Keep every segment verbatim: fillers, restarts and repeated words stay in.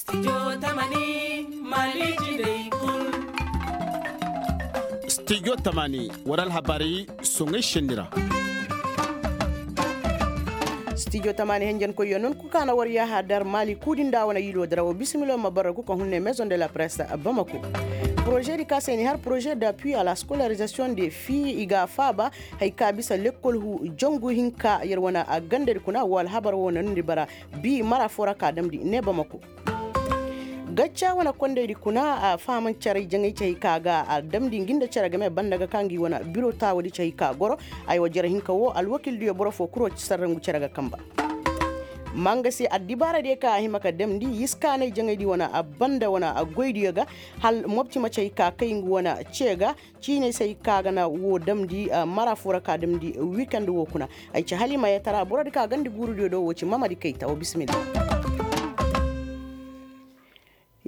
Stijo tamani, war alhabaray soŋay senni ra. Stijo tamani henjenkoyyo non ku kaana war yaaha dar maali kuudi nda wane yiilo dira wo bisimilo ma barra ku ka hunne maison de la presse bamako. Porožedi ka se ni har porože d'appui à la scolarisation de fii i ga a faaba. Hay ka bisa lekkol hu jangu hinka yer wane a gandadi kuna wo alhabar wo na nundi bara. Bi mara fo ra ka damndi ne bamako. Gacca wane kondaydi kuna a fahamancaray jaŋay cay ka ga a damndi ngi nda cere game banda ga ka ngi wane biro taawadi cay ka goro. Ay wa jere hinka wo alwakildiyo boro fo kuro sarrangu cere ga kamba. Manga se addibaaradiyo ka a hima ka damndi yiskaanay jaŋaydi wane a banda wane a goydiyo ga. Hal mopti ma cay ka kay ngu wane ce ga. Ciinay se ay ka ga na wo damndi mara fo ra ka damndi wikend wo kuna. Ay ci halimayatara borodi ka gandi guurudiyo do wo ci mamadi kayta wo bisimilla.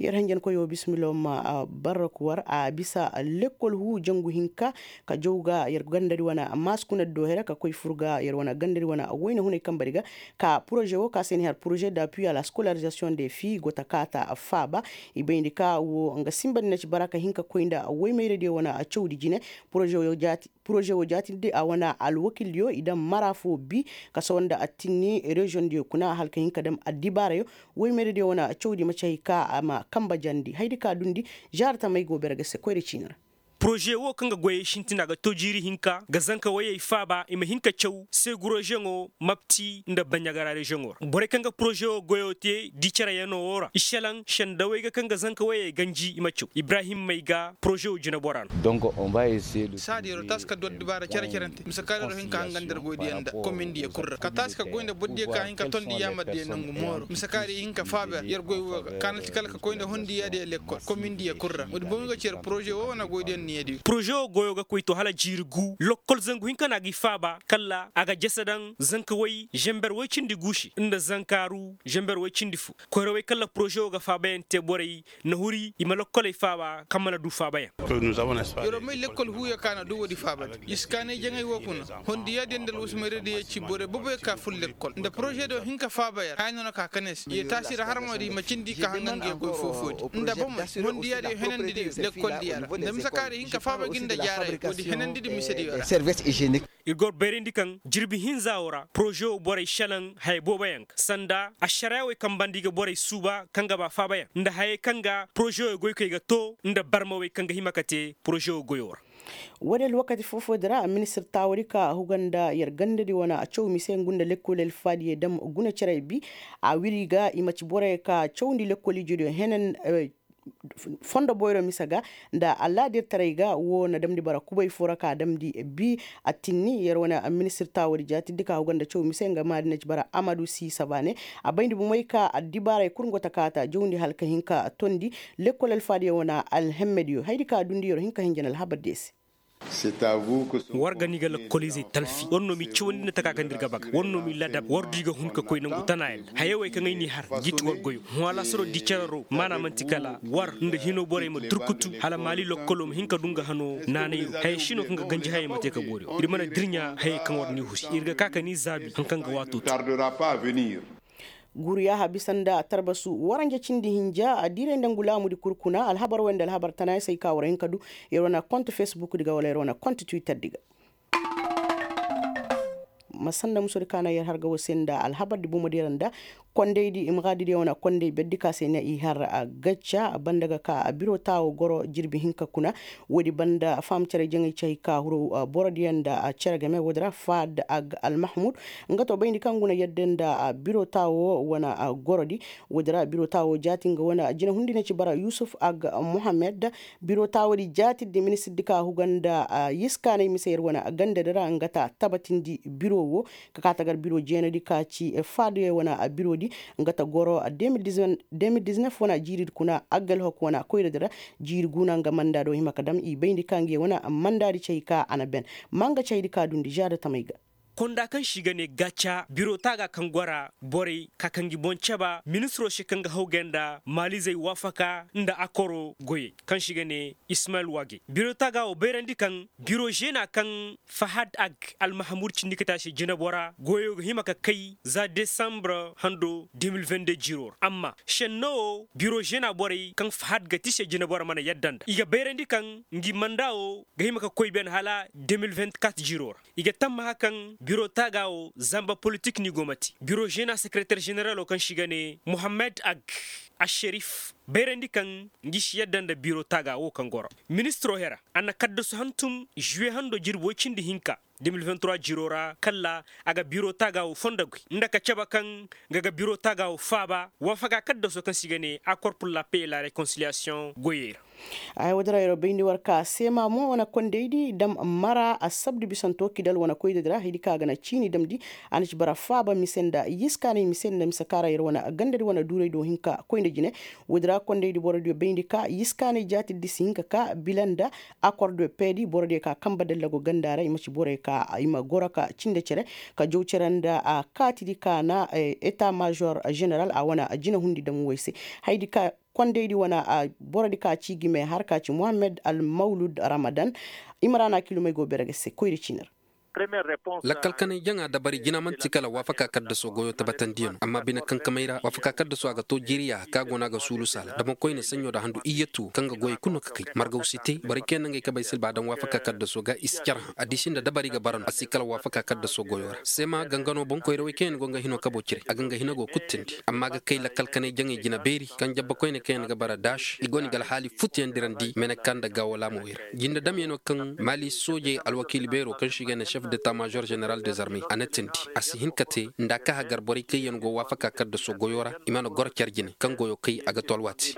Yer hanjankoyo bisimilla wo ma barraku war a bisa lekkol huu jangu hinka ka jaw ga yer gandadi wane maasi kuna do here ka koy fur ga yer wane gandadi wane wayna hunay kambadi ga. Ka porože wo ka se ni har porože d'appui à la scolarisation de fii go ta kaata faaba. I bayndi ka wo nga simbandi na ci bara ka hin ka koy nda woymayradiyo wane cawdi jine. Porože wo jaatindi a wane alwakildiyo i daŋ mara fo bi ka sawa nda attinni reziyoŋdiyo kuna hala ka hin ka daŋ addibaarayo. Woymayradiyo wane cawdi ma ci hay ka a ma kamba jandi haydi ka dundi. Zaara tamey go bere ga se koyra ciini ra. Porože wo kaŋ ga goyey sintin a ga to jiiri hinka ga zanka woyey faaba i ma hin ka caw segurozeŋo mapti nda baɲagara reziyoŋo ra borey kaŋ ga porože wo goyo te di cere yano wo ra i selaŋ sendawey ga kaŋ ga zanka woyey ganji i ma caw ibrahim may ga porože wo jinebora no. Saadi yer wo taasi ka du addibaara cere-cerante mise kaŋ yer wo hin ka hangan nda yer goydiyaŋ nda komindiyo kul ra ka taasi ka goy nda bordiyo ka hin ka tondi yaamardiyo nangu mooro mise kaŋ yer hin ka faaba yer goy wo ga kaana ti kala ka koy nda hondiyaadiyo lekkol komindiyo kul ra woodi boŋ ga ci yer porože wo wane goydiyaŋ niya diyo. Porože wo goyo ga koy to hala jiiri gu lokkol zangu hinka no a ga i faaba kala a ga jese daŋ zanka way zember way cindi guusi nda zankaaru zember way cindi fo. Koyrawey kala porože wo ga faabayaŋ te borey na huri i ma lokkoley faaba kaŋ mana du faabayaŋ. Yer wo may lekkol huuyo ka na du woodi faabadi yiskaanay jaŋay wo kuna hondiyaadiyo nda alwasimayradiyo ci borey boboyo ka fur lekkol nda porožediyo hin ka faaba yer haya no na ka kane se ye taasi ra harmadiyo i ma cindi ka hanga nga ye koy foo-foodi nda bomoy hondiyaadiyo henandidiyo lekkoldiyo ra nda mise kaŋ a ra i hin ka faaba gi nda jaaray woodi henandidi misediyo ra. Ir go bayrandi kaŋ jirbi hinza wo ra porože wo borey selaŋ haya booboyaŋ ga sanda ašaraawey kaŋ banda i ga borey suuba kaŋ ga ba faabayaŋ nda hayey kaŋ ga porože wo goykey ga to nda barmawey kaŋ ga hima ka te porože wo goyo ra. Woodin alwakati foo-foodi ra ministir taawadi ka huga nda yer gandadi wane a caw mise ngu nda lekkoli alfaadiyey dam guna cerey bi a wiri ga i ma ci borey ka cawndi lekkol ijediyo henen fondo boyro mise ga nda allaadirtaray ga wo na damndi bara kubay foo ra ka damndi bi. Attinni yer wane ministir taawadi jaatiddi ka huga nda caw mise nga maadi na ci bara amadu siisa baane. A bayndi bomey ka addibaaray kul ngo ta kaata jawndi hala ka hin ka tondi lekkol alfaadiyo wane alhemmediyo haydi ka dundi yer hin ka hinja na alhabardiyo se. War ga ni ga lakkoliizey talfi war no m'i cawandi nda taka kaŋ nda ir ga baga war no m'i ladab war du i ga hun ka koy nangu tanaaya nda hayey wey kaŋ ay n'i har jiiti war goyo hõ alaasaro di cararo maana man'ti kala war nda hino borey ma durkutu hala maali lakkolo ma hin ka du nga hano naanayro hayey si no kaŋ ga ganji hayey ma te ka boori ir mana dirɲa hayey kaŋ war n'i huri ir ga ka ka n'i zaabi hari kaŋ ga waato te. Guuru yaaha bisa nda tarbasu waranja cindi hinja diiray nda ngu laamudi kul kuna alhabar wey nda alhabar tanaaya se ay ka war hin ka du. Yer wane kont fesbukdi ga wala yer wane kont twitterdi ga. Ma sanda musodi ka na yer har ga wo se nda alhabardi bomodi ra nda kondaydi i ma ga didi yer wane konday berdi ka se na i har gacca banda ga ka biro taawo goro jirbi hinka kuna. Woodi banda faham cere jaŋay cay ka huru borodiyaŋ nda cere game woodi ra faad ag almahmud. Nga to bayndi kaŋ guna yadda nda biro taawo wane gorodi. Woodi ra biro taawo jaati nga wane jina hundi na ci bara yusuf ag muhammad. Biro taawodi jaatirdi ministirdi ka huga nda yiskaanay mise yer wane gandadi ra nga ta tabatindi biro wo. Ka ka tagar biro jeenadi ka ci faadu yer wane birodi nga ta goro deux mille dix-neuf wane jiiridi kuna aggalhok wane koyradi ra. Jiiri guuna nga mandaado hima ka dam i bayndi ka nga yer wane mandaadi cay ka a na ben. Ma nga caydi ka dundi žaada tamay ga. konda kaŋ se i ga ne gaca biro taaga kaŋ go a ra borey ka kaŋ gi boŋ caba ministiro se kaŋ ga hawgay nda maalizey waafaka nda akoro goyey kaŋ se i ga ne ismayil wage biro taaga wo bayrandi kaŋ biro zeena kaŋ fahad ag almahamud cindi ka te a se jinabora goyo ga hima ka kay za desambre hando de mil vende jiro ra amma senno wo biro zeena borey kaŋ fahad ga ti se jinabora mana yadda nda i ga bayrandi kaŋ ngi manda wo ga hima ka koy ben hala de mil vente kat jiro ra i ga tammaha kaŋ biro taaga wo zamba politik ni go ma te biro zeena sekereter zeneralo kaŋ se i ga ne muhammad ag asherif bayrandi kaŋ ngi si yadda nda biro taaga wo kaŋ goro ministiro hera a na kaddasu hantum žuwe hando jirbi woy cindi hinka de mil vente trois jiro ra kalla a ga biro taaga wo fondo goy nda ka cabe kaŋ nga ga biro taaga wo faaba waafaka kaddaso kaŋ se i ga ne akor pur la pey et la rekonsiliyasiyoŋ goyey ra. Ay wo dira yeroo bayndi war ka seema mo wane kondaydi dam mara assabdu bisanto kidal wane koydadi ra haydi ka a ga na ciini damndi a na ci bara faaba mise nda yiskaanay mise nda mise ka ra yer wane gandadi wane duuraydi wo hin ka koy nda jine. Wo dira kondaydi borodiyo bayndi ka yiskaanay jaatirdi si hin ka ka bila nda akordo peedi borodiyo ka kamba dallago ganda ra i ma ci borey ka i ma goro ka cinde cere ka jaw cere nda kaatidi ka na eta major general a wane jinahundi dam woy se. Haydi ka kondaydi wane borodi ka ci gime har ka ci muhammad almawlud ramadan. Imrana kilomey go bere ga se koyri ciini ra. Lakkal kanay jaŋa dabari jina man'ti kala waafaka kaddaso goyo tabatandiyano amma bine kankamey ra waafaka kaddaso a ga to jiiriya ka go no a ga suulu saala dama koyne saɲɲo nda handu iyyatu kaŋ ga goyey kulu no ka kay margaw si te borey kaŋ yaŋ na ngey kabey silba a daŋ waafaka kaddaso ga i si car hã addiisi nda dabari ga bara no a si kala waafaka kaddaso goyo ra seema gangano boŋkoyrawey kaŋ yaŋ go nga hino kabo cire a ga nga hina go kulu teendi amma a ga kay lakkal kanay jaŋey jina beeri kaŋ jabba koyne kaŋ yaŋ ga bara daas i go no i ga alhaali futuyaŋ dirandi meneka nda gaawo laamawey ra jinde damyaŋo kaŋ maali soojey alwakiili beero kaŋ se i ga ne chef d'etat major general des armées a na teendi a si hin ka te nda a ka hagar borey kaŋ yaŋ go waafaka kaddaso goyo ra i mana goro care jine kaŋ goyo kay a ga to alwaati.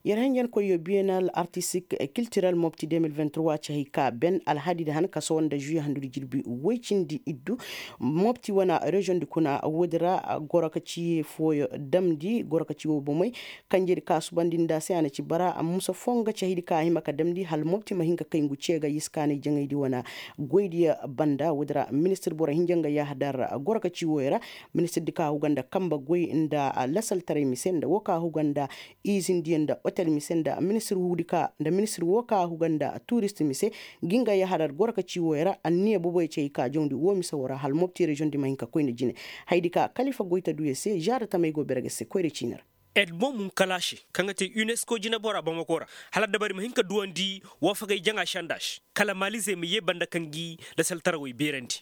Yer hanjankoyyo biyenal artistik kiltirel mopti de mil vingt trois ci hay ka ben alhadidi han kaso nda žuye handudi jirbi woy cindi iddu mopti wane reziyoŋ di kuna woodi ra goro ka ci fooyo damndi goro ka ci wo bomey. Kanjedi ka subandi nda se a na ci bara musa foo nga ci haydi ka a hima ka damndi hala mopti ma hin ka kay ngu ce ga yiskaanay jaŋaydi wane goydiyo banda woodi ra ministir boro hinja nga yahadar goro ka ci woyo ra. Ministirdi ka huga nda kamba goy nda lasaltaray mise nda wo ka huga nda izindiyo nda otel mise nda ministir huudi ka nda ministir wo ka huga nda turist mise. Ngi nga yahadar goro ka ci woyo ra anniya boboyo ci hay ka jawndi wo mise wo ra hala mopti reziyoŋ di ma hin ka koy nda jine. Haydi ka kalifa goytaduyo se žaada tamey go bere ga se koyra ciini ra. Edmond munkalaše kaŋ ga te unesco jinabora bamako ra hala dabari ma hin ka duwandi waafagay jaŋa sanda se kala maalizey ma yee banda kaŋ gi lasaltarawey beerandi.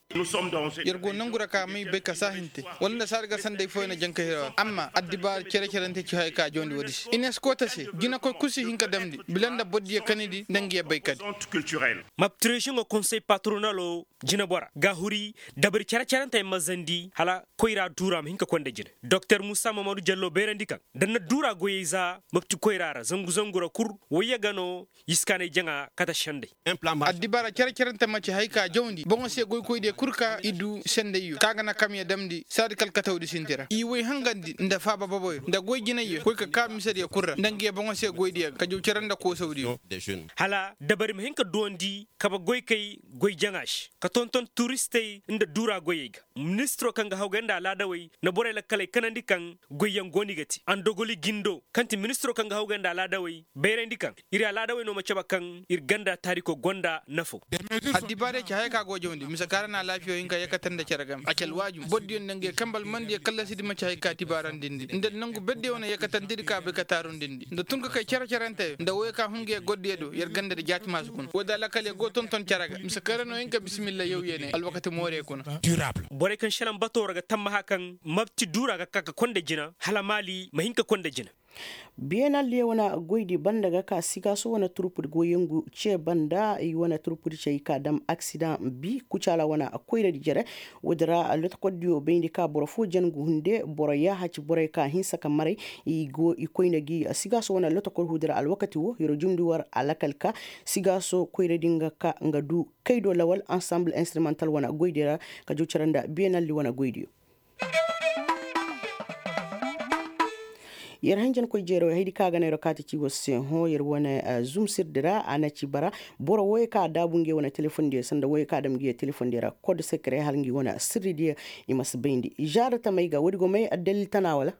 Yer go nangu ra ka may bay ka saahinte wala nda saadi ga sanday fooyaŋ na jaŋ ka hira amma addibaara cere-cerante ci haya ka jawandi woodi se unesco ta se jinakoy kul si hin ka damndi bila nda bordiyo kanidi nda nga yer bay kadi. Maptireziŋo konsey patronalo jinabora ga huri dabari cere-cerante ay mazandi hala koyra duura ma hin ka konda jine. Doktor muusa mamadu jallo bayrandi kaŋ da na duura goyey za mapti koyra ra zangu-zangu ra kul wayye ga no yiskaanay jaŋa kate sendey. Addibaara care-carante ma ci hay ka jawndi boŋo se goykoydiyo kul ka i du sendeyyo kaŋ a ga na kamya damndi saadi kala katawdi sinti ra i way hangandi nda faaba boboyo nda goy jinayyo koy ka ka misediyo kul ra nda nga ye boŋo se goydiyo ga ka jaw care nda koosawdiyo. Hala dabari ma hin ka duwandi kabe goykey goy jaŋa se ka tonton turistey nda duura goyey ga. Ministiro kaŋ ga hawgay nda alaadawey na borey lakkaley kanandi kaŋ goyyaŋ go no i ga te andogoli jindo kaŋ ti ministiro kaŋ ga hawgay nda alaadawey bayrandi kaŋ ir alaadawey no ma cabe kaŋ ir ganda taariko gonda nafo. Addibaarey ci haya kaŋ a go jawndi mise kaŋ ra na alaafiyo hin ka yakatandi care game a ci alwaajum bordiyo nda nga ye kambal mandiyo kallasidi ma ci hay ka tibaarandindi nda nangu berdiyo wane yakatandidi kaŋ a bay ka taarundindi nda tun ka kay care-caranteyo nda woyo kaŋ hun nga ye gordiyo do yer ganda nda jaati maasu kuna woodi alakal yer go tonton care ga mise kaŋ ra no hin ka bisimilla yawye ne alwakati moore kuna. Borey kaŋ šelaŋ batoo ra ga tammaha kaŋ mabti duura ga ka ka konda jina hala maali ma hin ka konda jina. Biyenal diyo wane goydi banda ga ka sigaaso wane turpudi goyyangu ce banda i wane turpudi ce i ka dam aksidaŋ bi kucaala wane koyradi jere. Woodi ra lotokol diyo bayndi ka boro foo jangu hunde boro yaaha ci borey ka hinsa ka maray i go i koyne gi sigaaso wane lotokol huudi ra alwakati wo hiro jumndi war alakal ka sigaaso koyradi nga ka nga du kaydo lawal ansamble instrumental wane goydi ra ka jaw cere nda biyenal di wane goydiyo. Yer hanjankoy jeeroo haydi kaŋ a ga naŋ yer kaati ci war se hõ yer wane zumsirdi ra a na ci bara. Boro wooyey kaŋ a daabu ngi wane telefondiyo sanda wooyey kaŋ a dam ngi telefondiyo ra kod sekere hala ngi wane sirridiyo. I ma si bayndi zaada tamey ga woodi go may addalil tana wala?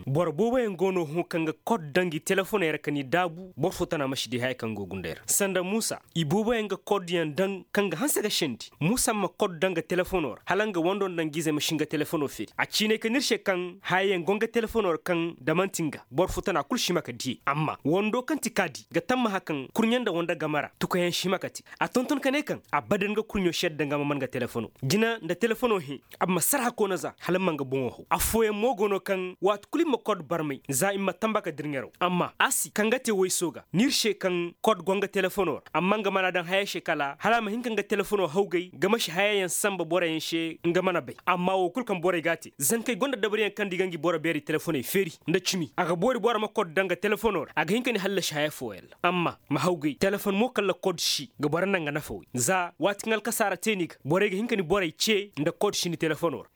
Boro booboyaŋ go no hõ kaŋ ga kod daŋ ngi telefoney ra ka ni daabu boro fo tana ma si di haya kaŋ go gundey ra sanda muusa i booboyaŋ ga kod yaŋ daŋ kaŋ ga hanse ga sendi. Muusa ma kod daŋ ga telefono ra hala nga wando nda nga izey ma si nga telefono feeri a ciinay ka n'ir se kaŋ hayayaŋ go nga telefono ra kaŋ da man'ti nga boro fo tana kul si hima ka diyey amma wando kaŋ ti kaadi ga tammaha kaŋ kurɲe nda wanda game ra tukayaŋ si hima ka te. A tonton ka ne kaŋ a badan nga kurɲo si yadda nga ma man nga telefono jina nda telefono hẽ. A ma sar hakkoona za hala ma nga boŋo haw affooyaŋ mo go no kaŋ waati kulu i ma kod barmay za i ma tamba ka dirŋeraw amma a si kaŋ ga te woy sooga n'ir se kaŋ kod go nga telefono ra amma nga mana daŋ haya se kala hala a ma hin ka nga telefono hawgay nga ma si hayayaŋ samba boroyaŋ se nga mana bay amma wo kulu kaŋ borey ga a te zankey go nda dabariyaŋ kaŋ nda i ga ngi boro beeri telefoney feeri nda cimi a ga boori boro ma kod daŋ nga telefono ra a ga hin ka ni hallasi haya fooyaŋ ra amma ma hawgay telefon mo kala kod si ga boro naŋ ga nafa woy za waati kaŋ alkasaara te ni ga borey ga hin ka ni borey ce nda kod si ni telefono ra.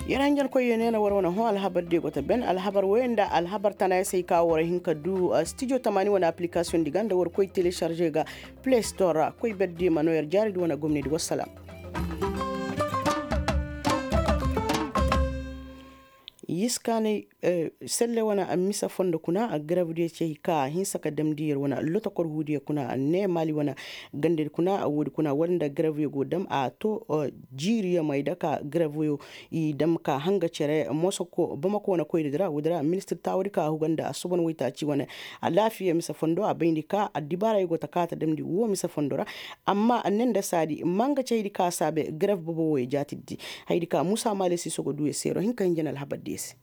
Yer hanjankoyyo ne na war wane hõ alhabar diyo go ta ben alhabar woyo nda alhabar tana ya se ay ka war hin ka du stijo tamaani wane aplikasiyoŋ di ga nda war koy telesarze ga play store ra koy ber diyo ma no yer jaari di wane gomnedi wassalaam. Yiskaanay selle wane a misa fondo kuna a garab diyo cey ka a hinsa ka damndi yer wane lotokor huudiyo kuna a ne maali wane gandadi kuna a woodi kuna war nda garab yo go dam a to jiiri yamay da ka garab yo i dam ka hanga cere moso ko bamako wane koyri dira woodi ra ministir taawadi ka a huga nda a soban waytaaci wane alaafiya misa fondo a bayndi ka addibaara yo go ta ka ta damndi wo misa fondo ra. Amma a ne nda saadi manga cey di ka saabe garab bobo wo ya jaatiddi. Haydi ka muusa maale siiso go duu ya seero hinka hinja na alhabar diyo se.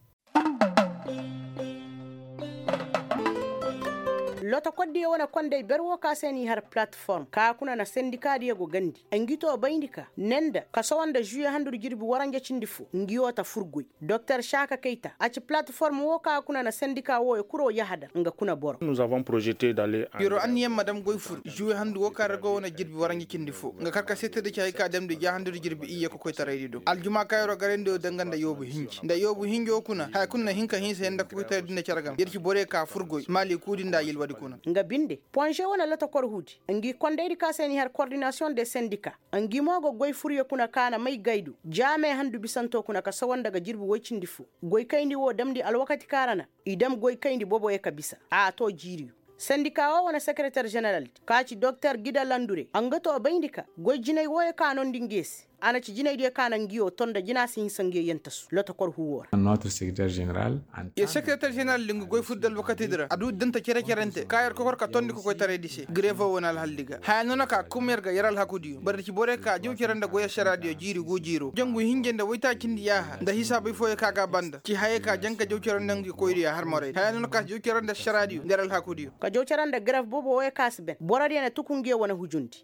Lotokoddiyo wane kondey ber wo ka se n'i har palatform ka kuna na sendikaadiyo go gandi ngi to bayndi ka ne nda kasawa nda žuye handudi jirbi waranja cindi fo ngi wo ta fur goy. Doktor saaka kayta a ci palatform wo ka kuna na sendika wooyo kuro yahadar nga kuna boro. Yer'o anniyaŋ ma dam goy fur žuwe handu wo ka ra go wane jirbi waranja cindi fo nga kar ka seetedi ci hay ka damndi ja handudi jirbi iyye kokoytaraydi do aljuma ka yer'o garayndi wo danga nda yoobu hinji nda yoobu hinjo kuna haya kulu na hin ka hinsa yaŋ nda kokoytaraydi nda care game yer ci borey ka fur goy maali kuudi nda yilwadi kuna. Nga binde ponže wane lotokor huudi ngi kondaydi ka se n'i har kordinasiyoŋ de sendika ngi mo go goy furyo kuna ka na may gaydu jaame handu bisanto kuna ka sawa nda ga jirbi woy cindi fo. Goy kayndi wo damndi alwakati ka ra na i dam goy kayndi boboyo ka bisa a to jiiriyo. Sendika wo wane sekereter ženeraldi ka ci doktor gida landure nga to bayndi ka goy jinay wooyo ka noondi nge se a na ci jinaydiyo ka na ngiyo to nda jina si hinsa ngiyo yentasu lotokor huwo ra. Yer sekereter ženeraldi nga goy furdi alwakatidi ra a du danta cere-cerente ka yer kokor ka tondi kokoytaraydi se grevo wane alhaldi ga haya noona ka kum yer ga yer alhakudiyo boro da ci borey ka jaw cere nda goy ašaraadiyo jiiri guu jiiro jangu hinja nda woytaacindi yaaha nda hisaabey fooyo ka ga a banda ci hayey ka jaŋ ka jaw cere nda ngi koydiyo har moraydi haya noona ka jaw cere nda ašaraadiyo nda yer alhakudiyo. Ka jaw cere nda garaf boobo wooyo ka si ben borodiyo na tuku ngiyo wane hujundi.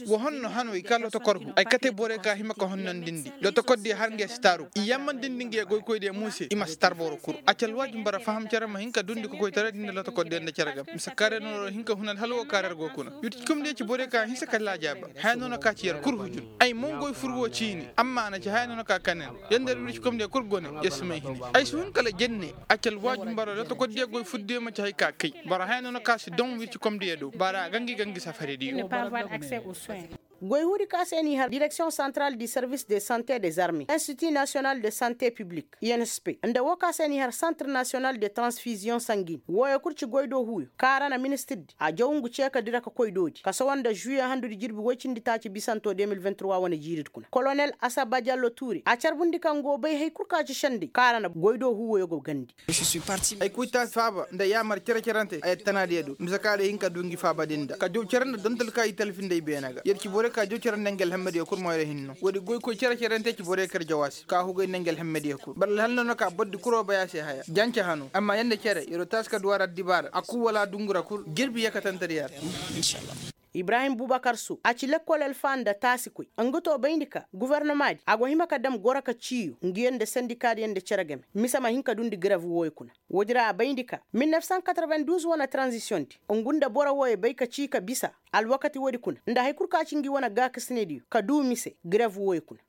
Wo honno hano i ka lotokor hu ay kate borey ka hima ka honnondindi lotokordiyo har nge si taaru i yammandindi nge goykoydiyo mo se i ma si tar boro kul a ci alwaajin bara faham cere ma hin ka dundi kokoytaraydi nda lotokordiyo nda cere game mise kaarey no yer hin ka hun alhal wo kaarey yer go kuna. Yurcikomdiyo ci borey ka hinsa ka laajaaba haya no na ka ci yer kul hujun ay mo ngoy fur wo ciini amma a na ci haya no na ka kanen yer nda yer yurcikomdiyo kul gone yer si may hini. Ay si hun kala jenne a ci alwaajin bara lotokordiyo goy furdiyo ma ci hay ka kay bara haya no na ka si don wircikomdiyo do bara a gangi gangi safarediyo. Goy huudi ka se n'i har direksiyoŋ santral di servis de sante de zarme institut national de sante piblik insp nda wo ka se n'i har santre national de transfiziyoŋ sangin wooyo kul ci goy do huuyo ka ra na ministirdi a jaw ngu ceekadi ra ka koy doodi kasawa nda žuye handudi jirbi woy cindi taaci bisanto de mil vingt trois wane jiiridi kuna kolonel asaba jallo tuure a carbundi ka ngu wo bay hay kul ka ci sendey ka ra na goy do huuyo go gandi. Ay koy taasi faaba nda yaamar cere-cerante ay attanaadiyo do mise ka day hin ka du ngi faaba din da ka jaw cere nda dontal ka i talfi nda i beene ga yer ci borey ka jaw cere nda ngi alhammadiyo kul mo yer hinno woodi goykoy cere-cerante ci borey ka yer jawaasi ka hugay nda ngi alhammadiyo kul boro alhal no na ka bordi kul wo bay a se haya jance hano amma yer nda cere yer wo taasi ka du a ra addibaara a kul wala a dungu ra kul jirbi yakatantediyo ra. Ibrahim bubakar su a ci lekkol alfa nda taasikoy nga to bayndi ka gofornomaadi a go hima ka dam goro ka ciiyo nguyo nda sendikaadiyo nda cere game mise ma hin ka dundi garev wooyo kuna. Woodi ra a bayndi ka mil nef san katarven duuz wane taranzisiyondi ngu nda boro wooyo bay ka cii ka bisa alwakati woodi kuna nda hari kul ka ci ngi wane gaakasinediyo ka duu mise garev wooyo kuna.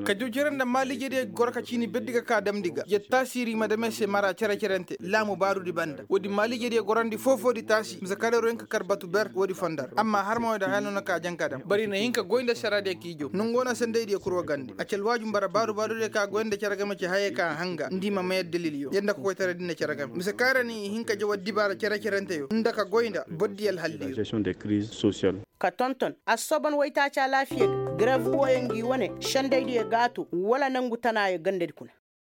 Ka diw cere nda maaliijediyo goro ka ciini berdi ga ka damndi ga ya taasiiri ma dam ay se mara cere-cerente laamu baaruudi banda woodi maaliijediyo gorandi foo-foodi taasi mise kareeroo hin ka kar batu ber woodi fonda ra amma harma woodi haya no na ka jaŋ ka dam bari na hin ka goy nda saraadiyo k'i jaw nongo na sendaydiyo kul wagandi a ci alwaaju nbara baaru-baarudiyo ka goy nda cere game ci hayey ka hanga nda i ma may addalilyo yadda kokoytara di nda cere game mise kaŋ ra ni hin ka jaw addibaara cere-cerenteyo nda ka goy nda bordiyo alhalliyo. Ka tonton assoban waytaaci alaafiya ga garev wooyo ngi wane sendaydiyo gaato wala nangu tanaayo gandadi kuna.